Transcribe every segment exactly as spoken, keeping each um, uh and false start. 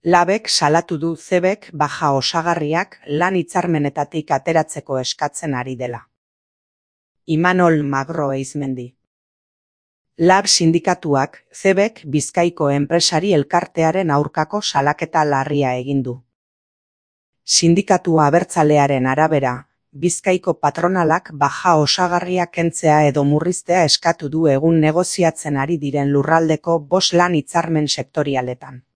Labek salatu du Cebek baja osagarriak lan hitzarmenetatik ateratzeko eskatzen ari dela. Imanol Magro Eizmendi. Lab sindikatuak Cebek Bizkaiko enpresari elkartearen aurkako salaketa larria egin du. Sindikatu abertzalearen arabera, Bizkaiko patronalak baja osagarriak kentzea edo murriztea eskatu du egun negoziatzen ari diren lurraldeko bost lan hitzarmen sektorialetan.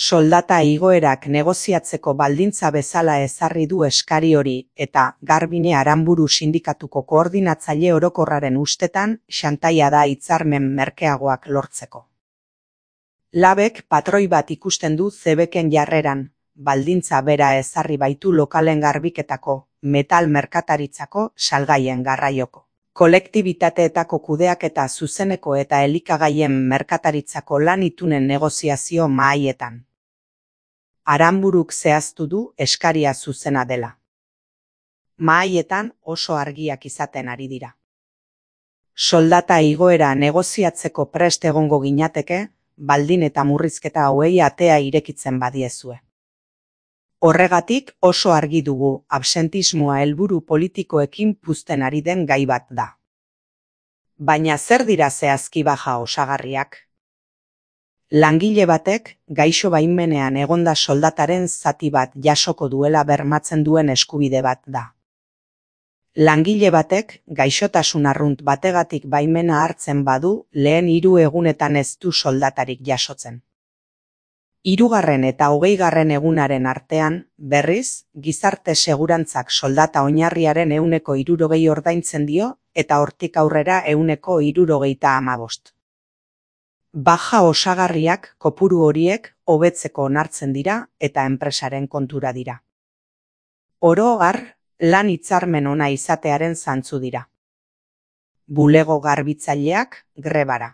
Soldata igoerak negoziatzeko baldintza bezala ezarri du eskari hori eta Garbine Aranburu sindikatuko koordinatzaile orokorraren ustetan xantaia da hitzarmen merkeagoak lortzeko. Labek patroi bat ikusten du Cebeken jarreran, baldintza bera ezarri baitu lokalen garbiketako, metal merkataritzako, salgaien garraioko, kolektibitateetako kudeaketa zuzeneko eta elikagaien merkataritzako lan itunen negoziazio mahaietan. Aranburuk zehaztu du eskaria zuzena dela. Mahaietan oso argiak izaten ari dira. Soldata igoera negoziatzeko prest egongo ginateke, baldin eta murrizketa hauei atea irekitzen badiezue. Horregatik oso argi dugu absentismoa helburu politikoekin puzten ari den gai bat da. Baina zer dira zehazki baja osagarriak? Langile batek gaixo baimenean egonda soldataren zati bat jasoko duela bermatzen duen eskubide bat da. Langile batek gaixotasun arrunt bategatik baimena hartzen badu lehen hiru egunetan ez du soldatarik jasotzen. Hirugarren eta hogeigarren egunaren artean, berriz, gizarte segurantzak soldata oinarriaren ehuneko hirurogei ordaintzen dio eta hortik aurrera ehuneko hirurogeita hamabost. Baja osagarriak kopuru horiek hobetzeko onartzen dira eta enpresaren kontura dira. Oro har, lan hitzarmen ona izatearen zantzu dira. Bulego garbitzaileak grebara.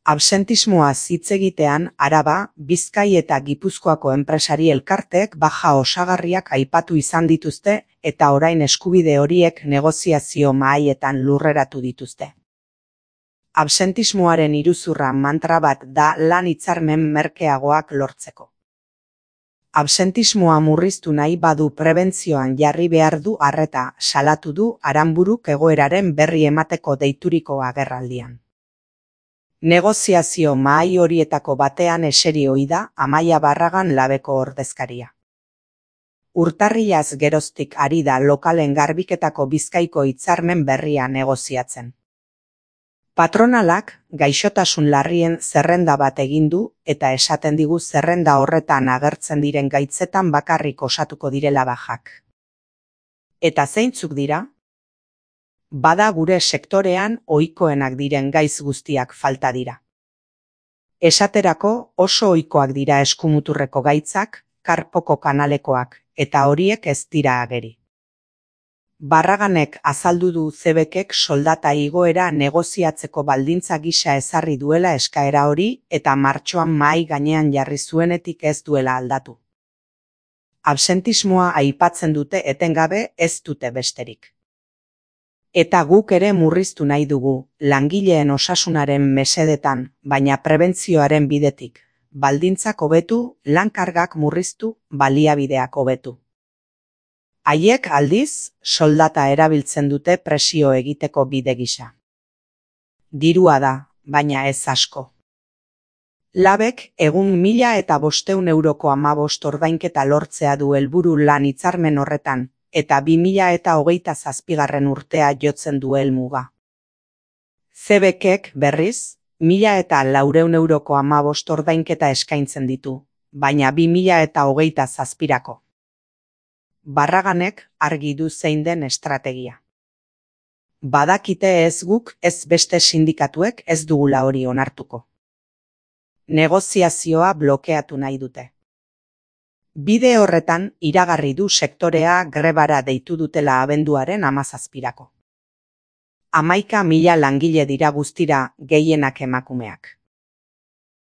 Absentismoaz hitz egitean Araba, Bizkai eta Gipuzkoako enpresari elkarteek baja osagarriak aipatu izan dituzte eta orain eskubide horiek negoziazio mahaietan lurreratu dituzte. Absentismoaren iruzurra mantra bat da lan hitzarmen merkeagoak lortzeko. Absentismoa murriztu nahi badu prebentzioan jarri behar du arreta, salatu du Aranburuk egoeraren berri emateko deituriko agerraldian. Negoziazio mahai horietako batean eseri ohi da Amaia Barragan Labeko ordezkaria. Urtarrilaz geroztik ari da lokalen garbiketako Bizkaiko hitzarmen berria negoziatzen. Patronalak gaixotasun larrien zerrenda bat egin du eta esaten digu zerrenda horretan agertzen diren gaitzetan bakarrik osatuko direla bajak. Eta zeintzuk dira? Bada gure sektorean ohikoenak diren gaiz guztiak falta dira. Esaterako oso ohikoak dira eskumuturreko gaitzak, karpoko kanalekoak, eta horiek ez dira ageri. Barraganek azaldu du Cebekek soldata igoera negoziatzeko baldintza gisa ezarri duela eskaera hori eta martxoan mahai gainean jarri zuenetik ez duela aldatu. Absentismoa aipatzen dute etengabe ez dute besterik. Eta guk ere murriztu nahi dugu, langileen osasunaren mesedetan, baina prebentzioaren bidetik, baldintzak hobetu, lan-kargak murriztu, baliabideak hobetu. Haiek aldiz, soldata erabiltzen dute presio egiteko bide gisa. Dirua da, baina ez asko. Labek egun mila eta bosteun euroko hamabost ordainketa lortzea du helburu lan hitzarmen horretan, eta bi mila eta hogeita zazpigarren urtea jotzen du helmuga. Cebekek berriz, mila eta laurehun euroko hamabost ordainketa eskaintzen ditu, baina bi mila eta hogeita zazpirako. Barraganek argi du zein den estrategia. Badakite ez guk ez beste sindikatuek ez dugula hori onartuko. Negoziazioa blokeatu nahi dute. Bide horretan iragarri du sektorea grebara deitu dutela abenduaren hamazazpirako. Hamaika mila langile dira guztira, gehienak emakumeak.